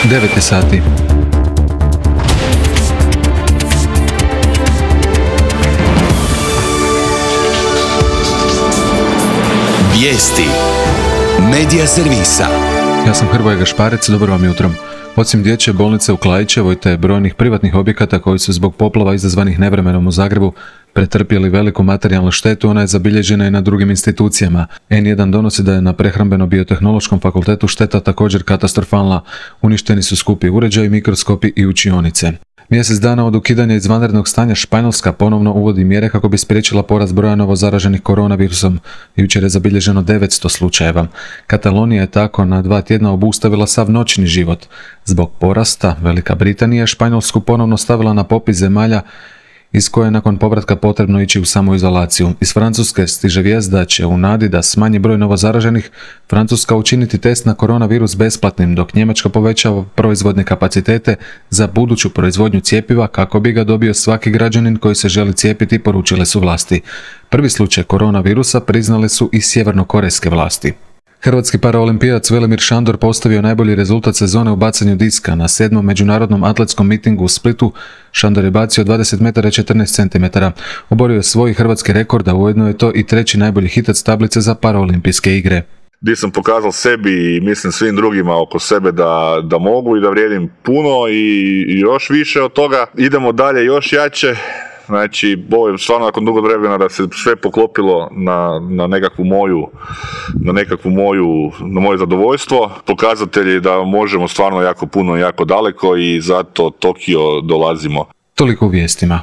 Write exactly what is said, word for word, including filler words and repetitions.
devet je sati. Vijesti Medija servisa. Ja sam Hrvoje Gašparec, dobro vam jutro. Osim dječje bolnice u Klaićevoj te brojnih privatnih objekata koji su zbog poplava izazvanih nevremenom u Zagrebu pretrpjeli veliku materijalnu štetu, ona je zabilježena i na drugim institucijama. en jedan donosi da je na Prehrambeno-biotehnološkom fakultetu šteta također katastrofalna. Uništeni su skupi uređaji, mikroskopi i učionice. Mjesec dana od ukidanja izvanrednog stanja Španjolska ponovno uvodi mjere kako bi spriječila porast broja novo zaraženih koronavirusom. Jučer je zabilježeno devetsto slučajeva. Katalonija je tako na dva tjedna obustavila sav noćni život. Zbog porasta Velika Britanija je Španjolsku ponovno stavila na popis zemalja iz koje je nakon povratka potrebno ići u samoizolaciju. Iz Francuske stiže vijest da će u nadi da smanji broj novozaraženih Francuska učiniti test na koronavirus besplatnim, dok Njemačka povećava proizvodne kapacitete za buduću proizvodnju cjepiva kako bi ga dobio svaki građanin koji se želi cijepiti, poručile su vlasti. Prvi slučaj koronavirusa priznale su i sjevernokorejske vlasti. Hrvatski paraolimpijac Velimir Šandor postavio najbolji rezultat sezone u bacanju diska. Na sedmom međunarodnom atletskom mitingu u Splitu Šandor je bacio dvadeset metara i četrnaest centimetara. Oborio je svoj hrvatski rekord, a ujedno je to i treći najbolji hitac tablice za paraolimpijske igre. Gdje sam pokazal sebi i mislim svim drugima oko sebe da, da mogu i da vrijedim puno i, i još više od toga. Idemo dalje još jače. Znači, ovo je stvarno nakon dugo vremena da se sve poklopilo na, na nekakvu moju, na nekakvu moju, na moje zadovoljstvo. Pokazatelji da možemo stvarno jako puno i jako daleko i zato Tokio dolazimo. Toliko u vijestima.